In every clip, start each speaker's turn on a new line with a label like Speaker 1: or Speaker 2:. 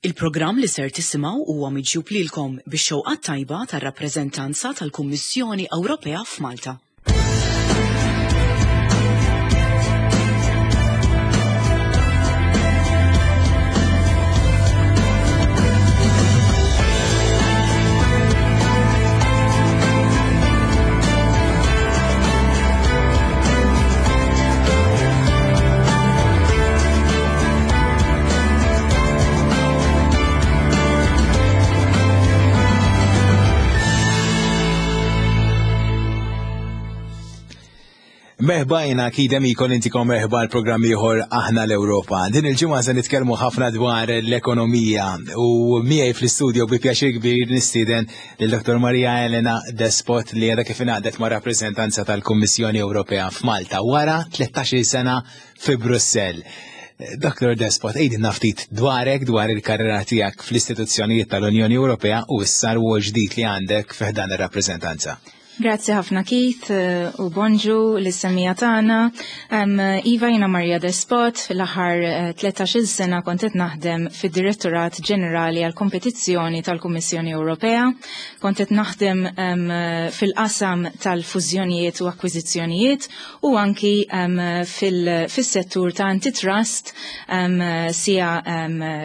Speaker 1: Il-programm li ser tisimgħu huwa miġjub lilkom bix-xewqa tajba tar-rappreżentanza tal-Kummissjoni Ewropea f'Malta.
Speaker 2: Merħba jena kidem ikon intikom merħba l-programm ieħor Aħna l-Ewropa. Din il-ġimgħa se nitkellmu ħafna dwar l-ekonomija u miegħi fl-istudio bi pjaċir kbir nistieden lil Dr. Maria Elena Despot li għadha kif ingħaqdet ma' rappreżentanza tal-Kummissjoni Ewropea f'Malta wara 13-il sena fi Brussell. Dr. Despot, għidilna ftit dwarek, dwar il-karriera tiegħek fl-istituzzjonijiet tal-Unjoni Ewropea u issa rwol ġdid li għandek fi ħdan ir-rappreżentanza.
Speaker 3: Grazzi ħafna Keith eh, u bonġu lis-semija tagħna. Iva jiena Maria Despot, fil-aħħar 13-il eh, sena kont qed naħdem fid-Direttorat Ġenerali għal Kompetizzjoni tal-Kummissjoni Ewropea. Kont qed naħdem fil-qasam tal-fużjonijiet u akkwiżizzjonijiet u anki fis-settur ta' antitrust sija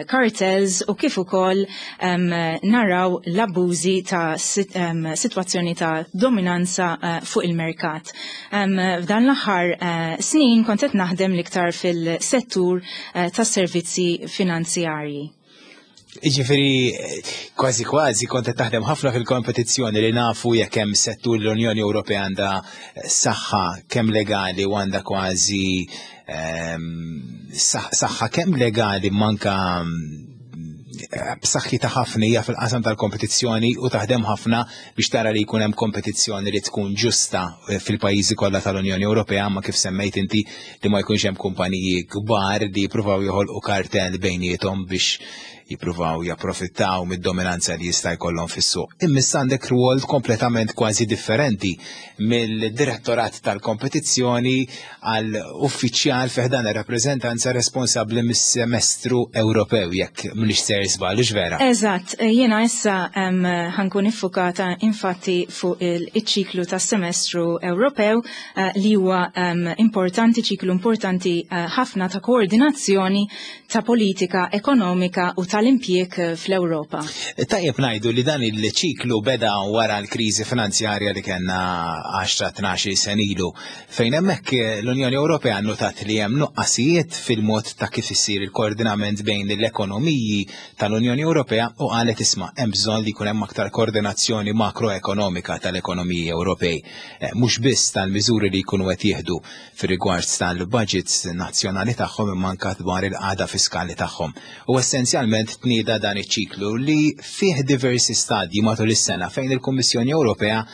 Speaker 3: cartels u kif ukoll naraw l-abbużi ta' sitwazzjoni ta' dominanza eh, fuq il-merkat. F'dan l-aħħar eh, snin kont qed naħdem l-iktar fil-settur eh, tas-servizzi finanzjarji.
Speaker 2: Ġifiri, kważi kważi kont qed taħdem ħafna fil-kompetizzjoni li nafu jekk hemm settur l-Unjoni Ewropea għandha saħħa kemm legali u għandha kważi ehm, saħħa kemm legali manka eh, b'saħħitha ħafna hija fil-qasam tal-kompetizzjoni u taħdem ħafna biex tara li jkun hemm kompetizzjoni li tkun ġusta eh, fil-pajjiżi kollha tal-Unjoni Ewropea, ma kif semmejt inti li ma jkunx hemm kumpaniji kbar li jippruvaw joħolqu kartell bejniethom biex jippruvaw japprofittaw mid-dominanza li jista' jkollhom fis-suq. Imma issa għandek rwol kompletament kważi differenti mill-direttorat tal-kompetizzjoni għal uffiċjal fi ħdan ir-rappreżentanza responsabbli mis-semestru Ewropew jekk m'iniex ser żball, vera?
Speaker 3: Eżatt, jiena issa ħankun iffukata infatti fuq il-ċiklu tas-semestru Ewropew Eh, li huwa importanti, ċiklu importanti eh, ħafna ta' koordinazzjoni ta' politika ekonomika u tal-impjieg eh, fl-Ewropa.
Speaker 2: Tajjeb ngħidu li dan il-ċiklu beda wara l-kriżi finanzjarja li kellna 10-12 sen ilu fejn hemmhekk l-Unjoni Ewropea notat li hemm nuqqasijiet fil-mod ta' kif isir il-koordinament bejn l-ekonomiji tal-Unjoni Ewropea u qalet isma' hemm bżonn li jkun hemm aktar koordinazzjoni makroekonomika tal-ekonomiji Ewropej. Eh, mhux biss tal-miżuri li jkunu qed jieħdu fir-rigward tal-budgets nazzjonali tagħhom imma anke dwar il-qagħda fiskali tagħhom. U essenzjalment tnieda dan iċ-ċiklu li fih diversi stadji matul is-sena fejn il-Kummissjoni Ewropea eh,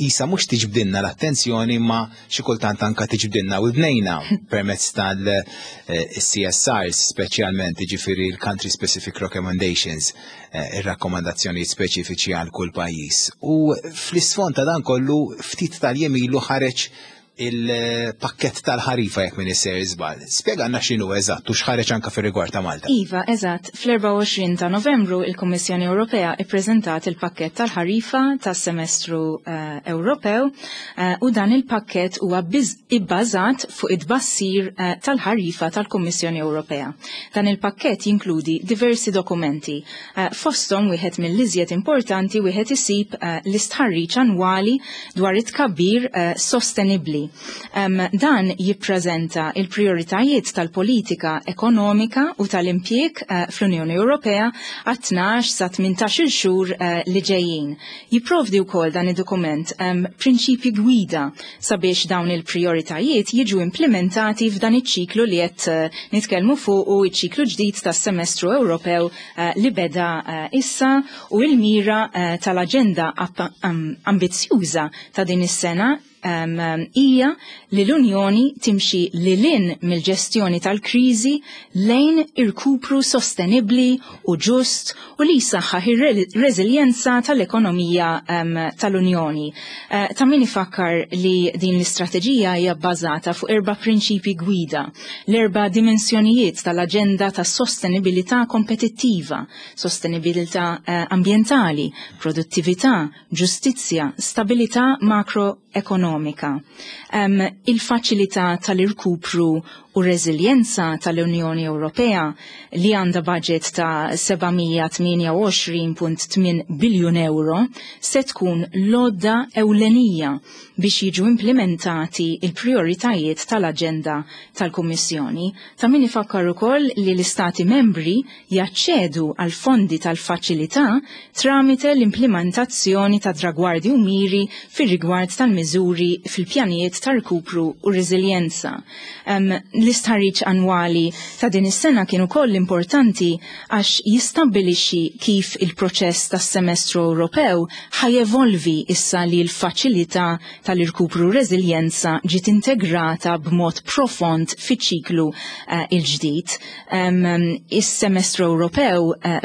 Speaker 2: isa mhux tiġbdilna l-attenzjoni ma xi kultant anka tiġbdilna u bnejna permezz tal-CSRs speċjalment jiġifieri l-Country Specific Recommendations Eh, ir-rakkomandazzjonijiet speċifiċi għal kull pajjiż. U fl-isfond ta' dan kollu ftit tal-jiem ilu ħareġ il-pakket tal-ħarifa jekk minn isser iżbal. Spjega x'inhu eżatt u x'ħareġ anka fir-rigward ta' Malta.
Speaker 3: Iva, eżatt. Fl-24 ta' Novembru il-Kummissjoni Ewropea ippreżentat il-pakket tal-ħarifa tas-semestru eh, Ewropew eh, u dan il-pakket huwa ibbażat fuq it-tbassir tal-ħarifa tal-Kummissjoni Ewropea. Dan il-pakkett jinkludi diversi dokumenti. Eh, fosthom wieħed mill-iżjed importanti wieħed isib eh, l-istħarriġ annwali dwar it-tkabbir eh, sostenibbli. Dan jippreżenta il-prijoritajiet tal-politika ekonomika u tal-impjieg fl-Unjoni Ewropea għat-12 sa 18-il xhur li ġejjin. Jipprovdi wkoll dan id-dokument prinċipji gwida sabiex dawn il-prijoritajiet jiġu implimentati f'dan iċ-ċiklu li qed eh, nitkellmu fuqu iċ-ċiklu ġdid tas-semestru Ewropew eh, li beda eh, issa u l-mira tal-aġenda ambizzjuża ta' din is-sena. hija li l-Unjoni timxi lil hinn mill-ġestjoni tal-kriżi lejn irkupru sostenibbli u ġust u li jsaħħaħ ir-reżiljenza tal-ekonomija tal-Unjoni. Ta' min ifakkar li din l-istrateġija hija bbażata fuq erba' prinċipji gwida, l-erba' dimensjonijiet tal-aġenda ta' sostenibilità kompetittiva, sostenibilità ambjentali, produttività, ġustizzja, stabilità makroekonomika. Il-faċilità tal-irkupru u reżiljenza tal-Unjoni Ewropea li għandha budget ta' 728.8 biljun euro se tkun l-għodda ewlenija biex jiġu implementati il-prioritajiet tal-aġenda tal-Kummissjoni. Ta' min ifakkar ukoll li l-Istati membri jaċċedu għal fondi tal-faċilità tramite l-implementazzjoni ta' tragwardi u miri fir-rigward tal-miżuri fil-pjanijiet ta' rkupru u reżiljenza. L-istħarriġ annwali ta' din is-sena kien ukoll importanti għax jistabbilixxi kif il-proċess tas-semestru Ewropew ħa jevolvi issa li l-faċilità tal-irkupru reżiljenza ġiet integrata b'mod profond fiċ-ċiklu il-ġdid. Is-semestru Ewropew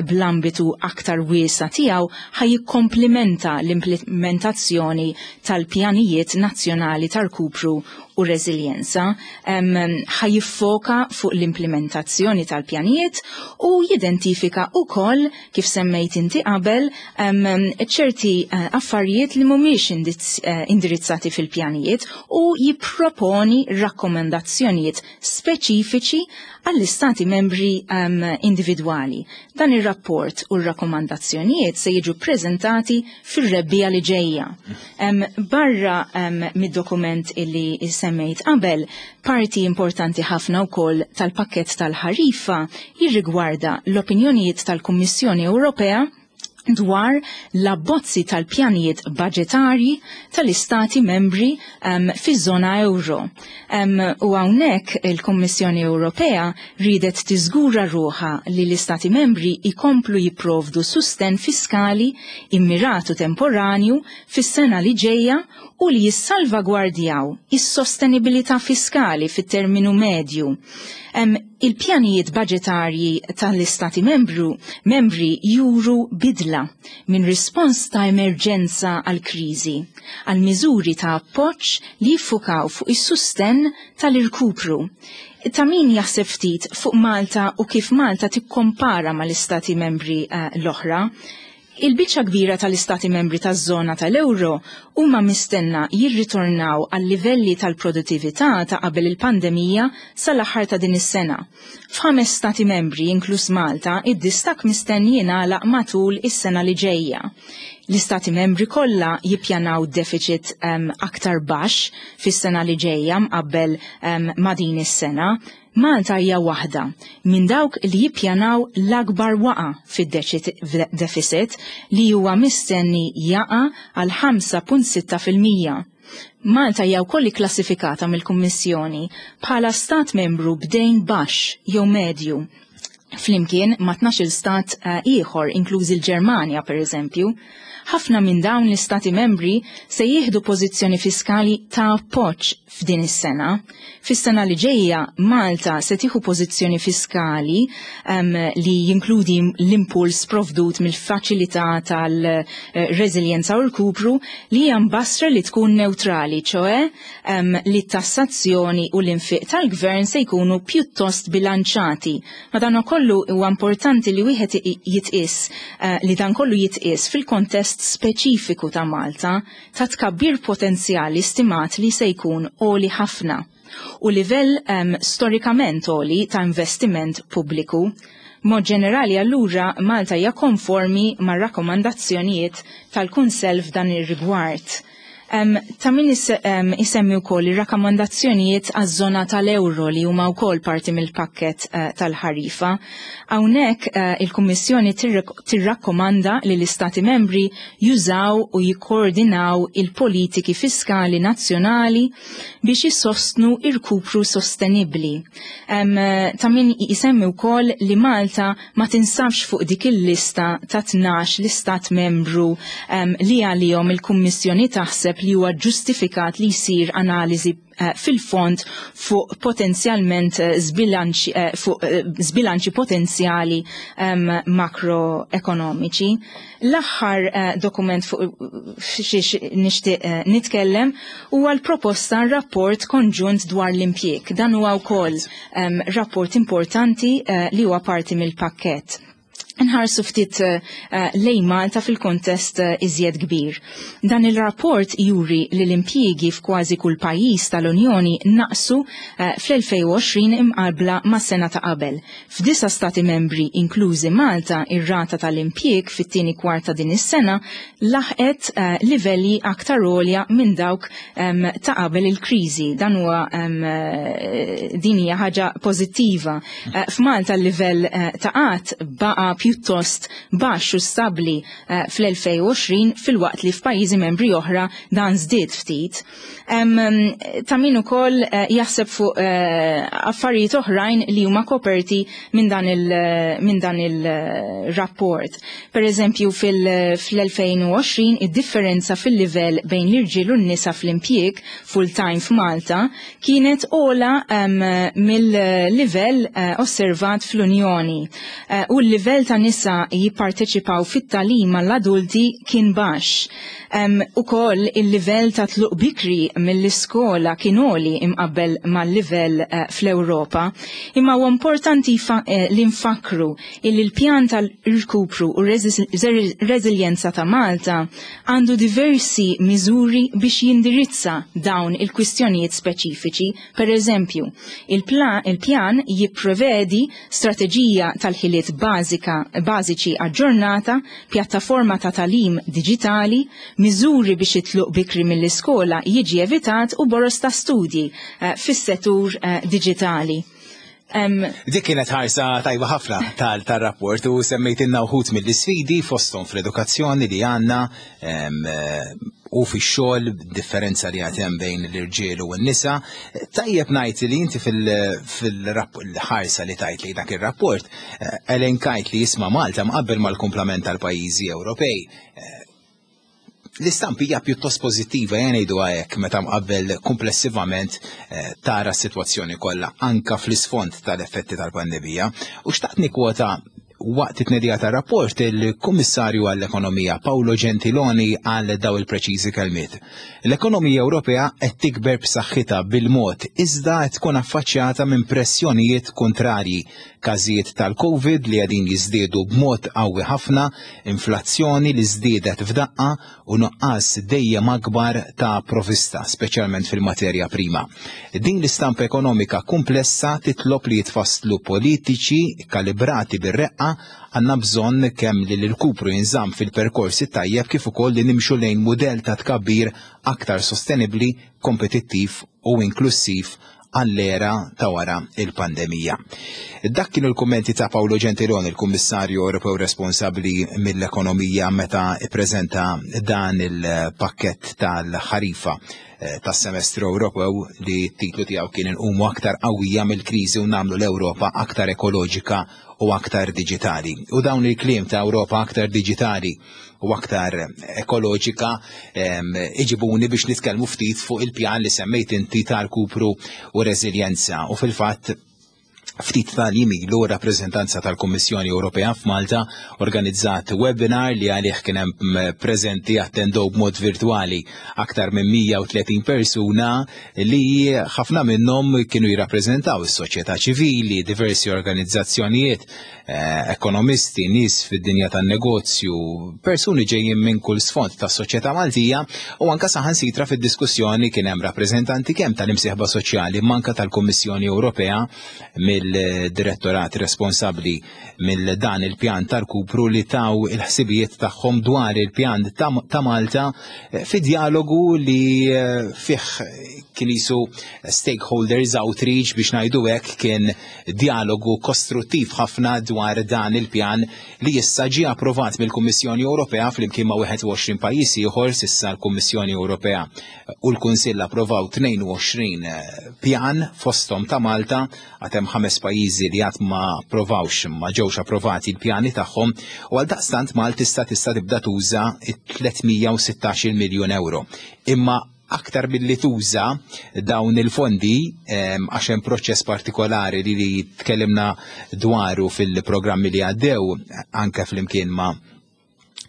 Speaker 3: bl-ambitu aktar wiesa tiegħu ħa jikkomplimenta l-implementazzjoni tal-pjanijiet nazzjonali tal-rkupru u reżiljenza, ħa jiffoka fuq l-implementazzjoni tal-pjanijiet u jidentifika ukoll, kif semmejt inti qabel, ċerti affarijiet li mhumiex indirizzati fil-pjanijiet u jipproponi rakkomandazzjonijiet speċifiċi għall-istati membri individwali. Dan ir-rapport u r-rakkomandazzjonijiet se jiġu preżentati fir-rebbiegħa li ġejja. Barra mid-dokument illi semmejt qabel, parti importanti ħafna wkoll tal-pakkett tal-ħarifa jirrigwarda l-opinjonijiet tal-Kummissjoni Ewropea dwar l-abbozzi tal-pjanijiet budgetarji tal-istati membri fiż-żona euro. U hawnhekk il-Kummissjoni Ewropea ridet tiżgura ruħha li l-istati membri ikomplu jipprovdu susten fiskali immiratu temporanju fis-sena li ġejja u li jissalvagwardjaw is-sostenibilità fiskali fit-terminu medju. Il-pjanijiet budgetarji tal-istati membri juru bidla minn rispons ta' emerġenza għal kriżi għal miżuri ta' appoġġ li jiffukaw fuq is-susten tal-irkupru. Ta' min jaħseb ftit fuq Malta u kif Malta tikkompara mal-istati membri l-oħra. Il-biċċa kbira tal-istati membri taż-żona tal-euro huma mistenna jirritornaw għal livelli tal-produttività ta' qabel il-pandemija sal-aħħar ta' din is-sena. F'ħames stati membri, inkluż Malta, id-distakk mistenni jingħalaq matul is-sena li ġejja. L-istati membri kollha jippjanaw deficit aktar baxx fis-sena li ġejja mqabbel ma' din is-sena. Malta hija waħda minn dawk li jippjanaw l-akbar waqa fid-deficit li huwa mistenni jaqa' għal 5.6%. Malta hija wkoll ikklassifikata mill-Kummissjoni bħala stat membru b'dejn baxx jew medju flimkien ma' 12 stat ieħor, inklużi l-Ġermanja pereżempju. Ħafna minn dawn l-istati membri se jieħdu pożizzjoni fiskali ta' appoġġ f'din is-sena. Fis-sena li ġejja Malta se tieħu pożizzjoni fiskali li jinkludi l-impuls provdut mill-faċilità tal-reżiljenza u l-kupru li hija mbassra li tkun neutrali, ċoe li t-tassazzjoni u l-infiq tal-gvern se jkunu pjuttost bilanċati. Madankollu huwa importanti li wieħed jitqis li dan kollu jitqis fil-kontest speċifiku ta' Malta ta' tkabbir potenzjali stimat li se jkun għoli ħafna u livell storikament għoli ta' investiment pubbliku. Mod ġenerali allura Malta hija konformi mar-rakkomandazzjonijiet tal-Kunsell f'dan ir-rigward. Ta' min isemmi wkoll ir-rakkomandazzjonijiet għaż-żona tal-euro li huma wkoll parti mill-pakkett tal-ħarifa. Hawnhekk il-Kummissjoni tirrakkomanda li l-Istati membri jużaw u jikkoordinaw il-politiki fiskali nazzjonali biex jissostnu irkupru sostenibbli. Ta' min isemmi wkoll li Malta ma tinsabx fuq dik il-lista ta' 12 l-istat membru li għalihom il-Kummissjoni taħseb naħseb li huwa ġustifikat li jsir analiżi eh, fil-fond fuq potenzjalment eh, zbilanċi eh, fuq zbilanċi potenzjali ehm, makroekonomiċi. L-aħħar dokument fuq xiex nixtieq nitkellem huwa l-proposta rapport konġunt dwar l-impjieg. Dan huwa wkoll ehm, rapport importanti li huwa parti mill-pakkett nħarsu ftit eh, lejn Malta fil-kontest eh, iżjed kbir. Dan il-rapport juri li l-impjiegi f'kważi kull pajjiż tal-Unjoni naqsu eh, fl-2020 imqabla ma' sena ta' qabel. F'disa stati membri inklużi Malta, ir-rata tal-impjieg fit-tieni kwarta din is-sena laħqet livelli aktar għolja minn dawk ta' qabel il-kriżi. Dan huwa din hija ħaġa pożittiva. Eh, F'Malta l-livell eh, ta' qatt baqa' pjuttost baxx u stabbli eh, fl-2020 filwaqt li f'pajjiżi membri oħra dan żdied ftit. Ta' min ukoll jaħseb fuq affarijiet oħrajn li huma koperti minn dan il-rapport. Per eżempju, fil-2020 id-differenza fil-livell bejn l-irġiel u n-nisa fl-impjieg full-time f'Malta kienet ogħla mill-livell eh, osservat fl-Unjoni eh, u l-livell ta' nisa jipparteċipaw fit-tagħlim għall-adulti kien baxx. Ukoll il-livell ta' tluq bikri mill-iskola kien għoli imqabbel mal-livell eh, fl-Ewropa. Imma huwa importanti li nfakru illi l-pjan tal-irkupru u reżiljenza ta' Malta għandu diversi miżuri biex jindirizza dawn il-kwistjonijiet speċifiċi. Per eżempju, il-pjan jipprevedi strateġija tal-ħiliet bażika bażiċi aġġornata, pjattaforma ta' tagħlim diġitali, miżuri biex it-tluq bikri mill-iskola jiġi evitat u boroż ta' studji eh, fis-settur eh, diġitali.
Speaker 2: Dik kienet ħarsa tajba ħafna tal-rapport u semmejtilna wħud mill-isfidi fosthom fl-edukazzjoni li għandna u fix-xogħol differenza li għad hemm bejn l-irġiel u n-nisa. Tajjeb ngħid li inti fil-ħarsa li tajt li dak ir-rapport eh, elenkajt li jisma' Malta mqabbel mal-kumplament tal-pajjiżi Ewropej eh, L-istampa hija pjuttost pożittiva ejja ngħiduha hekk meta mqabbel komplessivament eh, tara s-sitwazzjoni kollha anka fl-isfond tal-effetti tal-pandemija. U xtaqt nikkwota waqt it-tnedija tar-rapport il-Kummissarju għall-Ekonomija Paolo Gentiloni għal daw il-preċiżi kelmiet. L-ekonomija Ewropea qed tikber b'saħħitha bil-mod iżda qed tkun affaċċjata minn pressjonijiet kontrarji Każijiet tal-Covid li qegħdin jiżdiedu b'mod qawwi ħafna, inflazzjoni li żdiedet f'daqqa u nuqqas dejjem akbar ta' provista, speċjalment fil-materja prima. Din l-istampa ekonomika kumplessa titlob li jitfasslu politiċi kalibrati bir-reqqa għandna bżonn kemm li l-irkupru jinżamm fil-perkors it-tajjeb kif ukoll li nimxu lejn mudell ta' tkabbir aktar sostenibbli, kompetittiv u inklussiv għall-era ta' wara il-pandemija. Dak kienu l-kummenti ta' Paolo Gentiloni, il-Kummissarju Ewropew responsabbli mill-ekonomija meta ippreżenta dan il-pakkett tal-ħarifa eh, tas-semestru Ewropew li t-titlu tiegħu kien inqumu aktar qawwija mill-kriżi u nagħmlu l-Ewropa aktar ekoloġika u aktar diġitali. U dawn il-kliem ta' Ewropa aktar diġitali u aktar ekoloġika iġibuni biex nitkellmu ftit fuq il-pjan li semmejt inti tal-kupru u reżiljenza. U fil-fatt ftit tal-jiem ilu rappreżentanza tal-Kummissjoni Ewropea f'Malta organizzat webinar li għalih kien hemm preżenti attendew b'mod virtwali aktar minn 130 persuna li ħafna minnhom kienu jirrappreżentaw is-soċjetà ċivili, diversi organizzazzjonijiet, eh, ekonomisti, nies fid-dinja tan-negozju, persuni ġejjin minn kull sfond tas-soċjetà Maltija u anka saħansitra fid-diskussjoni kien hemm rappreżentanti kemm tal-imsieħba soċjali manka tal-Kummissjoni Ewropea mill-direttorat responsabbli mill dan il-pjan tal-kupru li taw il-ħsibijiet tagħhom dwar il-pjan ta' Malta eh, fi dialogu li eh, fih Kien jisu stakeholders outreach biex ngħidu hekk, kien dialogu kostruttiv ħafna dwar dan il-pjan li issa ġie approvat mill-Kummissjoni Ewropea flimkien ma' 21 pajjiż ieħor. S'issa l-Kummissjoni Ewropea u l-Kunsill approvaw 22 pjan, fosthom ta' Malta. Għad hemm ħames pajjiżi li għad ma approvawx, ma ġewx approvati l-pjani tagħhom, u għal daqstant Malta tista' tibda tuża 316 miljun euro. Imma aktar billi tuża dawn il-fondi, għax hemm proċess partikolari li tkellimna dwaru fil-programmi li għaddew, anke flimkien ma'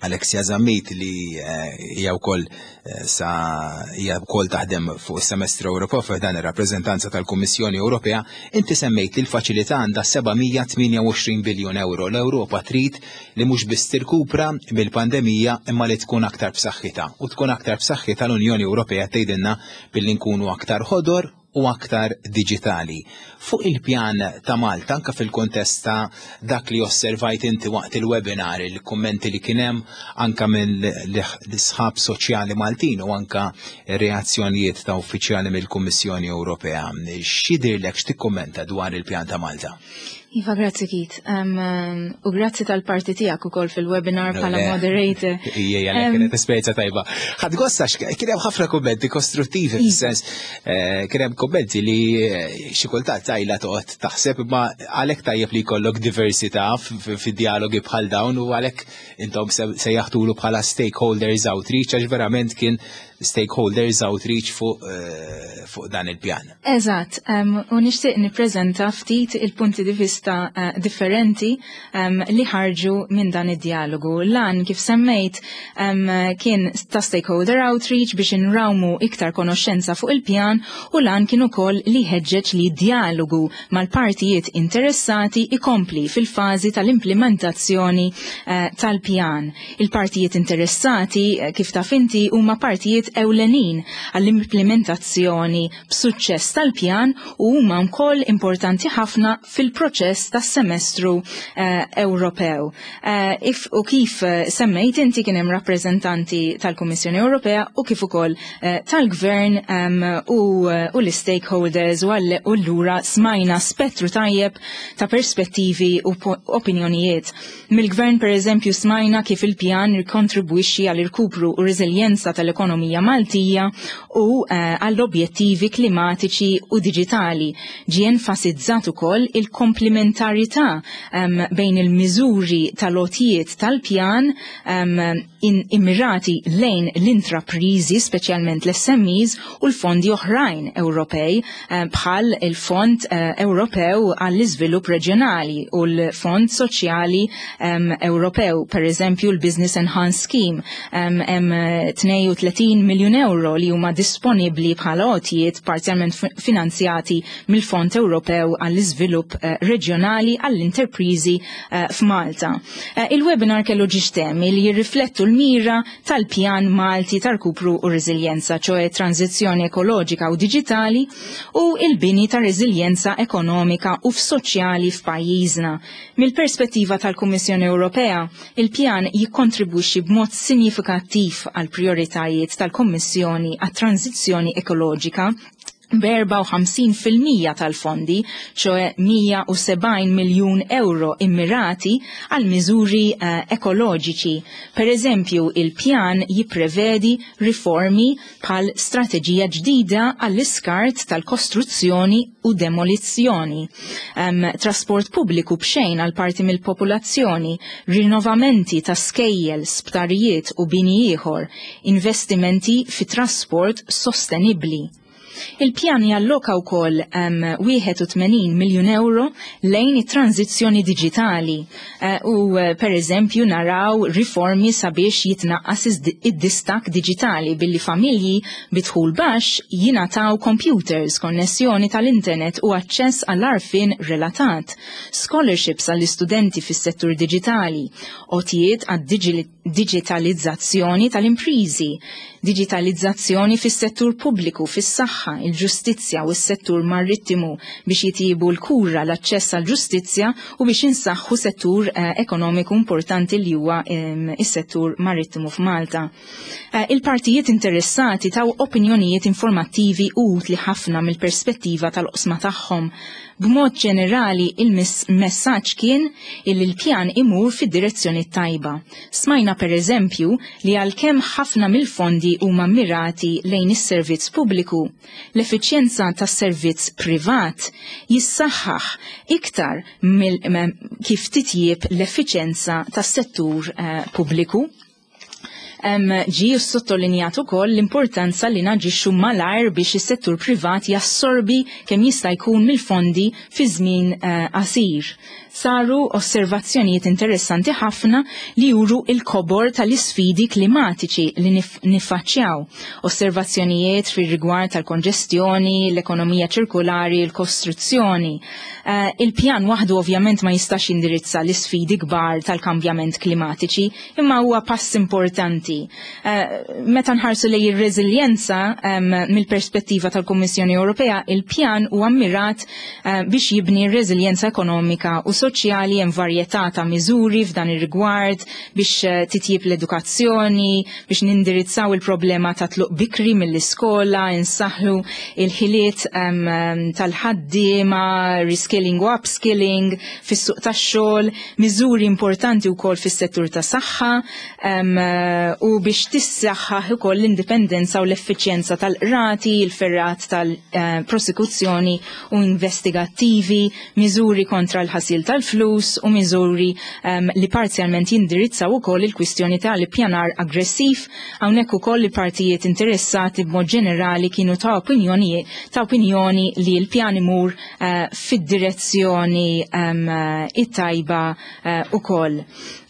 Speaker 2: Alexia Zammit li hija wkoll sa hija wkoll taħdem fuq is-semestru Ewropew f'dan ir-rappreżentanza tal-Kummissjoni Ewropea, inti semmejt li l-faċilità għandha 728 biljun euro. L-Ewropa trid li mhux biss tirkupra mill-pandemija imma li tkun aktar b'saħħitha. U tkun aktar b'saħħitha l-Unjoni Ewropea tgħidilna billi nkunu aktar ħodor u aktar diġitali. Fuq il-pjan ta' Malta, anka fil-kontest ta' dak li osservajt inti waqt il-webinar, il-kummenti li kien hemm anka minn l-isħab soċjali Maltin u anka reazzjonijiet ta' uffiċjali mill-Kummissjoni Ewropea, x'jidhirlek, x'tikkummenta dwar il-pjan ta' Malta?
Speaker 3: Iva, grazzi Keith. U grazzi tal-parti tiegħek ukoll fil-webinar bħala moderator.
Speaker 2: Ija, kienet esperjenza tajba. Ħadd gost għax kien hemm ħafna kummenti kostruttivi fis-sens kien hemm kummenti li xi kultant tajla toqgħod taħseb, imma għalhekk tajjeb li jkollok diversità fid-dialogi bħal dawn, u għalhekk intom sejjaħtulu bħala stakeholders outreach, għax verament kien stakeholders outreach fuq dan il-pjan.
Speaker 3: Eżatt, u nixtieq nippreżenta ftit il-punti di vista differenti li ħarġu minn dan id-dialogu. Lan, kif semmejt, kien ta' stakeholder outreach biex inrawmu iktar konoxxenza fuq il-pjan, u lan kien ukoll li ħeġġeġ li dialogu mal-partijiet interessati ikompli fil-fażi tal-implementazzjoni tal-pjan. Il-partijiet interessati, kif taf inti, huma partijiet ewlenin għall-implementazzjoni b'suċċess tal-pjan u huma wkoll importanti ħafna fil-proċess tas-semestru Ewropew. U kif semmejt inti, kien hemm rappreżentanti tal-Kummissjoni Ewropea u kif ukoll tal-Gvern u l-stakeholders, u allura smajna spettru tajjeb ta' perspettivi u opinjonijiet. Mill-Gvern, per eżempju, smajna kif il-pjan jikontribwixxi għal irkupru u reżiljenza tal-ekonomija Maltija u għall-objettivi klimatiċi u diġitali. Ġie enfasizzat ukoll il-komplementarità bejn il-miżuri tal-għotjiet tal-pjan immirati lejn l-intraprizi, speċjalment l-SMEs, u l-fondi oħrajn Ewropej bħal il-Fond Ewropew għall-Iżvilupp Reġjonali u l-Fond Soċjali Ewropew, per eżempju l-Business Enhanced Scheme, hemm 32 miljun euro li huma disponibbli bħala għotjiet parzjalment finanzjati mill-Fond Ewropew għall-Iżvilupp Reġjonali għall-interprizi f'Malta. Il-webinar kellu ġiex temi li jirriflettu l-mira tal-pjan Malti tal-rkupru u reżiljenza, ċoè tranzizzjoni ekoloġika u diġitali u il-bini ta' reżiljenza ekonomika u soċjali f'pajjiżna. Mill-perspettiva tal-Kummissjoni Ewropea, il-pjan jikkontribwixxi b'mod sinjifikattiv għal prioritajiet tal-Kummissjoni għat-tranzizzjoni ekoloġika b'54% tal-fondi, ċoè 170 miljun euro, immirati għal miżuri ekoloġiċi. Per eżempju, il-pjan jipprevedi riformi bħal strateġija ġdida għall-iskart tal-kostruzzjoni u demolizzjoni, trasport pubbliku b'xejn għal parti mill-popolazzjoni, rinnovamenti ta' skejjel, sptarijiet u bini ieħor, investimenti fi trasport sostenibbli. Il-pjan jalloka wkoll 81 miljun euro lejn it-tranzizzjoni diġitali u per eżempju naraw riformi sabiex jitnaqqas id-distak diġitali billi familji bi dħul baxx jingħataw computers, konnessjoni tal-internet u aċċess għall-għarfien relatat, scholarships għall-istudenti fis-settur diġitali, għotjiet għad-digitalizzazzjoni tal-imprizi, digitalizzazzjoni fis-settur pubbliku, fis-saħħa. tas-saħħa, il-ġustizzja u s-settur marittimu biex jitjiebu l-kura, l-aċċess għall-ġustizzja u biex insaħħu settur ekonomiku importanti li huwa is-settur marittimu f'Malta. Il-partijiet interessati taw opinjonijiet informattivi u utli ħafna mill-perspettiva tal-oqsma tagħhom. B'mod ġenerali, il-messaġġ kien illi l-pjan imur fid-direzzjoni tajba. Smajna per eżempju li għalkemm ħafna mill-fondi huma mirati lejn is-servizz pubbliku, l-effiċjenza tas-servizz privat jissaħħaħ iktar kif titjieb l-effiċjenza tas-settur pubbliku. Ġie sottolinjat ukoll l-importanza li naġixxu malajr biex is-settur privat jassorbi kemm jista' jkun mill-fondi fi żmien qasir. Saru osservazzjonijiet interessanti ħafna li juru il-kobor tal-isfidi klimatiċi li niffaċċjaw. Osservazzjonijiet fir-rigward tal-konġestjoni, l-ekonomija ċirkulari, l-kostruzzjoni. Il-pjan waħdu ovvjament ma jistax jindirizza l-isfidi kbar tal-kambjament klimatiċi, imma huwa pass importanti. Meta nħarsu lejn ir-reżiljenza mill-perspettiva tal-Kummissjoni Ewropea, il-pjan huwa mmirat biex jibni r-reżiljenza ekonomika u soċjali. Hemm varjetà ta' miżuri f'dan ir-rigward biex titjib l-edukazzjoni, biex nindirizzaw il-problema ta' tluq bikri mill-iskola, insaħħu il-ħiliet tal-ħaddiema, reskilling u upskilling fis-suq tax-xogħol, miżuri importanti wkoll fis-settur ta' saħħa u biex tissaħħaħ ukoll l-indipendenza u l-effiċjenza tal-qrati, il-fergħat tal-prosekuzzjoni u investigattivi, miżuri kontra l-ħasil tal-flus u miżuri li parzjalment jindirizzaw ukoll il-kwistjoni tal-ippjanar aggressiv. Hawnhekk ukoll il-partijiet interessati b'mod ġenerali kienu ta' opinjoni li l-pjan imur fid-direzzjoni it-tajba ukoll.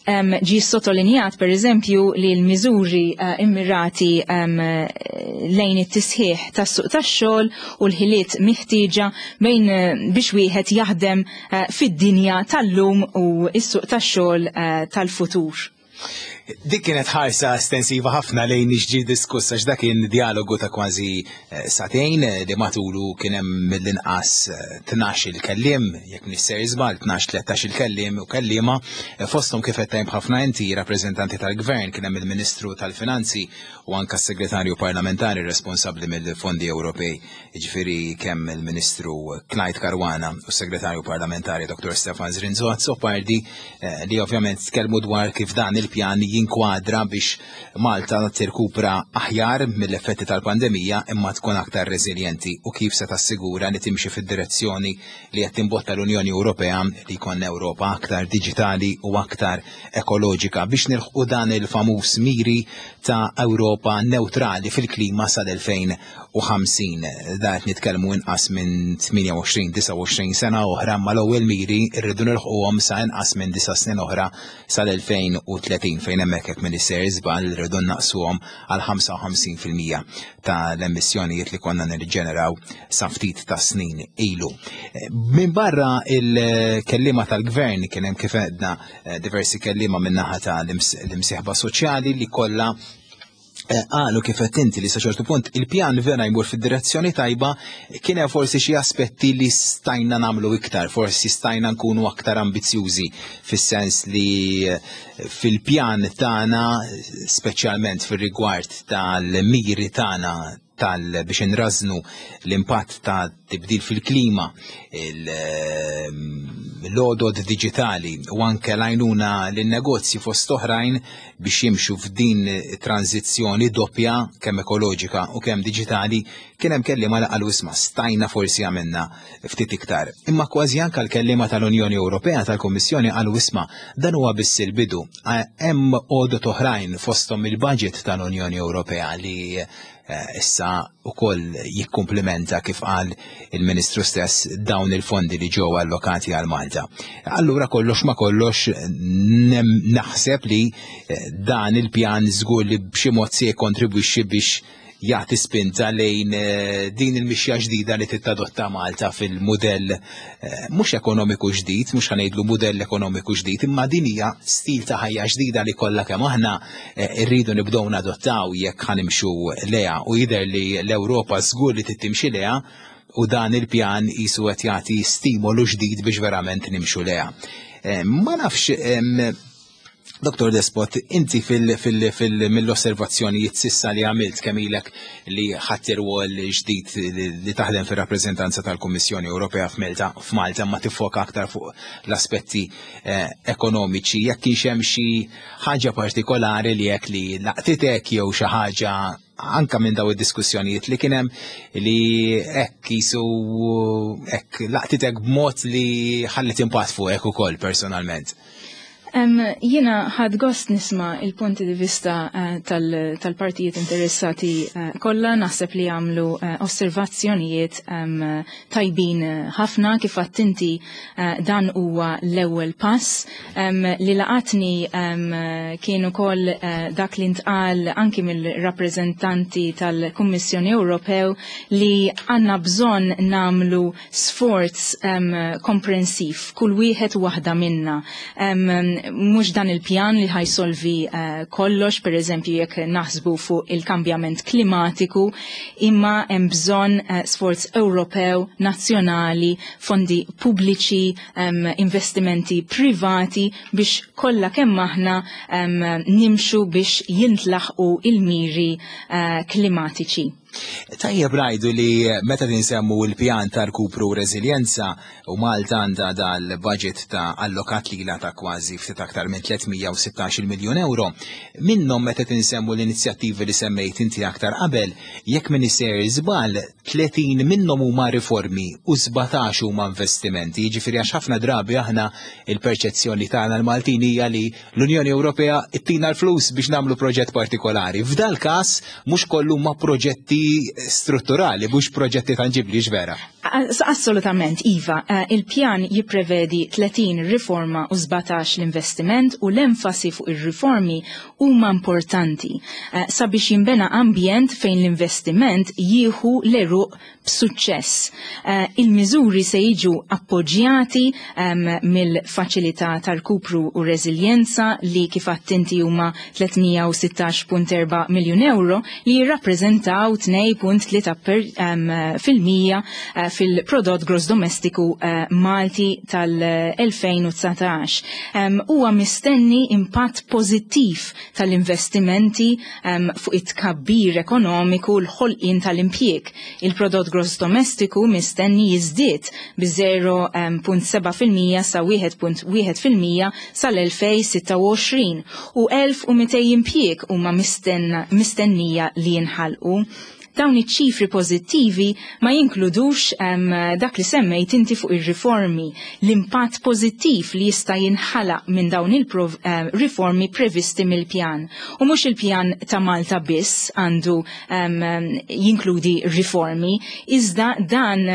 Speaker 3: Ġi sottolinjat per eżempju li l-miżuri immirati lejn it-tisħiħ tas-suq tax-xogħol u l-ħiliet miħtieġa bejn biex wieħed jaħdem fid-dinja tal-lum u s-suq tax-xogħol tal-futur.
Speaker 2: Dik kienet ħarsa estensiva ħafna lejn x'ġie diskuss, għax dak kien dialogu ta' kważi sagħtejn li matulu kien hemm mill-inqas 12 il-kellim, jekk m'iniex sejjer żball, 12-13 il-kellim u kellima, fosthom, kif qed ħafna inti, rappreżentanti tal-gvern, kien hemm il-Ministru tal-Finanzi u anka s-Segretarju Parlamentari responsabbli mill-Fondi Ewropej, jiġifieri kemm il-Ministru Clyde Caruana u s-Segretarju Parlamentari Dr. Stefan Zrinzo Azzopardi, li ovvjament tkellmu dwar kif dan il-pjan jinkwadra biex Malta tirkupra aħjar mill-effetti tal-pandemija imma tkun aktar reżiljenti u kif se tassigura li timxi fid-direzzjoni li qed timbotta l-Unjoni Ewropea li jkun Ewropa aktar diġitali u aktar ekoloġika biex nilħqu dan il-famuż miri ta' Ewropa neutrali fil-klima sal-2050. Da qed nitkellmu inqas minn 28-29 sena oħra, ma l-ewwel miri rridu nilħquhom sa inqas minn 9 snin oħra, sal-2030, fejn hemmhekk, jekk m'iniex sejjer żball, rridu naqsuhom għal 55% tal-emissjonijiet li konna nirġeneraw sa ftit ta' snin ilu. Min barra il-kellima tal-gvern kien hemm, kif għedna, diversi kellima min-naħa tal-imsieħba soċjali li kollha qalu, kif qed inti, li sa ċertu punt il-pjan vera jmur fid-direzzjoni tajba, kien hemm forsi xi aspetti li stajna nagħmlu iktar, forsi stajna nkunu aktar ambizzjużi fis-sens li fil-pjan tagħna, speċjalment fir-rigward tal-miri tagħna tal biex nrażnu l-impatt ta' tibdil fil-klima, l-għodod digitali u anke l-għajnuna lin-negozji fost oħrajn biex jimxu f'din tranzizzjoni doppja, kemm ekoloġika u kemm digitali, kien hemm kellima li qalu, "Isma', stajna forsi għamilna ftit iktar." Imma kważi anke l-kellima tal-Unjoni Ewropea, tal-Kummissjoni, qalu, "Isma', dan huwa biss il-bidu. Hemm għodod oħrajn, fosthom il-budget tal-Unjoni Ewropea li issa ukoll jikkumplimenta, kif qal il-Ministru stess, dawn il-fondi li ġew allokati għal Malta." Allura kollox ma kollox naħseb li dan il-pjan żgur li b'xi mod se jikkontribwixxi biex jagħti spinta lejn eh, din il-mixja ġdida li tittadotta Malta fil-mudell eh, mhux ekonomiku ġdid, mhux ħanejdlu mudell ekonomiku ġdid, imma din hija stil ta' ħajja ġdida li kollha kemm aħna eh, rridu nibdew nadottaw jekk ħanimxu leha u jidher li l-Ewropa żgur li tittimxi leha u dan il-pjan jisu qed jagħti stimolu ġdid biex verament nimxu leha. Ma nafx Dr. Despot, inti mill-osservazzjonijiet sissa li għamilt kemm ilek li ħadd irwol ġdid li taħdem fir-rappreżentanza tal-Kummissjoni Ewropea f'Malta, f'Malta ma tiffoka aktar fuq l-aspetti eh, ekonomiċi, jekk kienx hemm xi ħaġa partikolari li jekk li laqtitek jew xi ħaġa anka minn daw id-diskussjonijiet li kien hemm li hekk jisu hekk laqtitek b'mod li ħallet impatt fuqek ukoll personalment.
Speaker 3: Jiena ħad gost nisma il-punti di vista eh, tal-partijiet interessati eh, kollha, naħseb li għamlu eh, osservazzjonijiet tajbin ħafna kif inti dan huwa l-ewwel pass. Li laqatni kien ukoll dak li ntqal anki mill-rappreżentanti tal-Kummissjoni Ewropew li għandna bżonn namlu sforz komprensiv, kull wieħed u waħda minna. Mhux dan il-pjan li ħajsolvi kollox, per eżempju jekk naħsbu fuq il-kambjament klimatiku, imma hemm bżonn sforz Ewropew, nazzjonali, fondi pubbliċi, investimenti privati biex kollha kemm aħna nimxu biex jintlaħqu il-miri klimatiċi.
Speaker 2: Tajjeb ngħidu li meta ninsemmu l-pjan ta' rkupru u reżiljenza u Malta għandha dal-budget ta' allokat lila ta' kważi ftit aktar minn 316 miljun euro, minnhom meta tinsemmu l-inizjattivi li semmejt inti aktar qabel, jekk m'iniex sejjer żball, 30 minnhom huma riformi u 17 huma investimenti. Jiġifieri għax ħafna drabi aħna il-perċezzjoni tagħna l-Maltin hija li l-Unjoni Ewropea ttina l-flus biex nagħmlu proġett partikolari. F'dal każ mhux kollu ma proġetti strutturali, mhux proġetti tanġibli vera.
Speaker 3: Assolutament, Iva. Il-pjan jipprevedi 30 riforma u 17 l-investiment u l-enfasi fuq ir-riformi huma importanti sabiex jinbena ambjent fejn l-investiment jieħu l-għeruq b'suċċess. Il-miżuri se jiġu appoġġjati mill-Faċilità ta' Rkupru u Reżiljenza li kif għedt inti huma 316.4 miljun euro li jirrappreżentaw 2.3% fil-prodott gross domestiku Malti tal-2019. Huwa mistenni impatt pożittiv tal-investimenti fuq it-tkabbir ekonomiku l-ħolqien tal-impjieg. Il-prodott gross domestiku mistenni jiżdied bi 0.7% sa 1.1% sal-2026 u 1200 impjieg huma mistennija li jinħalqu. Dawn iċ-ċifri pożittivi ma jinkludux dak li semmejt inti fuq ir-riformi, l-impatt pożittiv li jista' jinħalaq minn dawn il-riformi previsti mill-pjan. U mhux il-pjan ta' Malta biss għandu jinkludi riformi, iżda dan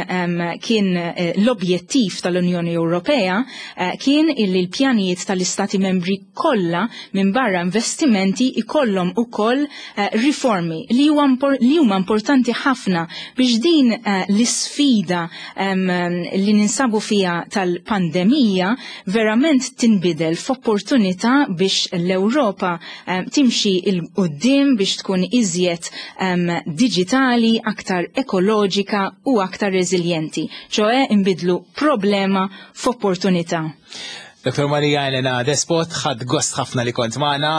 Speaker 3: kien l-objettiv tal-Unjoni Ewropea kien illi l-pjanijiet tal-Istati membri kollha minn barra investimenti ikollhom ukoll riformi li huma importanti ħafna biex din l-isfida li ninsabu fiha tal-pandemija verament tinbidel f'opportunità biex l-Ewropa timxi 'l quddiem biex tkun iżjed diġitali, aktar ekoloġika u aktar reżiljenti, ċoe nbidlu problema f'opportunità.
Speaker 2: Dr. Maria Elena Despot, ħadt gost ħafna li kont magħna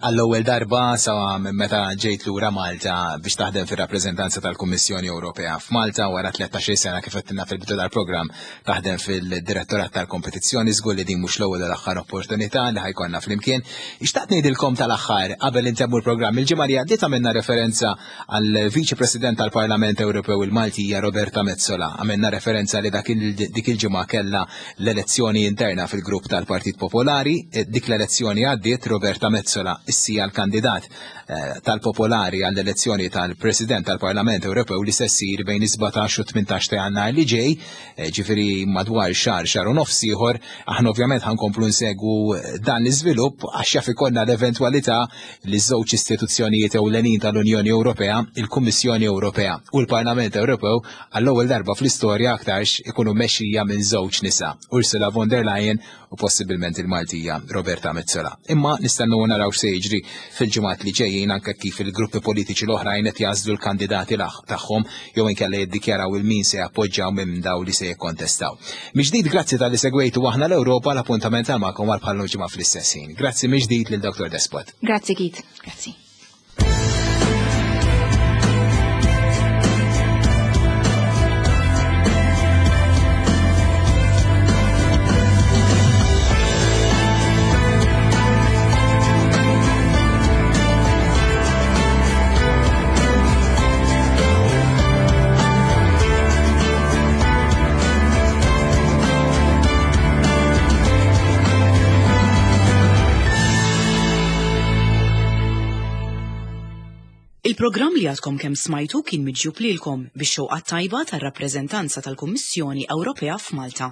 Speaker 2: għall-ewwel darba sa minn meta ġejt lura Malta biex taħdem fir-rappreżentanza tal-Kummissjoni Ewropea f'Malta wara 13 sena kif għedtilna fil-bidu tal-programm taħdem fil-Direttorat tal-Kompetizzjoni żgur li din mhux l-ewwel u l-aħħar opportunità li ħajkonna flimkien. Xtaqt ngħidilkom tal-aħħar qabel intemmu l-programm il-ġimgħa li għaddiet għamilna referenza għal Viċi President tal-Parlament Ewropew il-Maltija Roberta Metsola. Għamilna referenza li dik il-ġimgħa kellha l-elezzjoni interna fil-grupp tal tal-Partit Popolari. Eh, dik l-elezzjoni għaddiet Roberta Metsola issija l-kandidat eh, tal-Popolari għall-elezzjoni tal-President tal-Parlament Ewropew li se ssir bejn is-17 u 18 ta' Jannar li ġej, eh, ġifieri madwar xahar xahar u nofs ieħor, aħna ovvjament ħankomplu nsegwu dan l-iżvilupp għax jaf ikollna l-eventwalità li żewġ istituzzjonijiet ewlenin tal-Unjoni Ewropea, il-Kummissjoni Ewropea u l-Parlament Ewropew għall-ewwel darba fl-istorja aktarx ikunu mexxija minn żewġ nisa, Ursula von der Leyen u possibilment il-Maltija Roberta Metsola. Imma nistennu naraw x'se jiġri fil-ġimgħat li ġejjin anke kif il-gruppi politiċi l-oħrajn qed jagħżlu l-kandidati tagħhom jew inkella jiddikjaraw il-min se jappoġġjaw minn daw li se jikkontestaw. Miġdid grazzi tal-li segwejtu aħna l-Ewropa l-appuntament għal magħkom għal bħal ġimgħa fl-istess ħin. Grazzi miġdid lil Dr. Despot.
Speaker 3: Grazzi Keith, grazzi.
Speaker 1: Il-programm li għadkom kemm smajtu kien miġjub lilkom bix-xewqa tajba tar-rappreżentanza tal-Kummissjoni Ewropea f'Malta.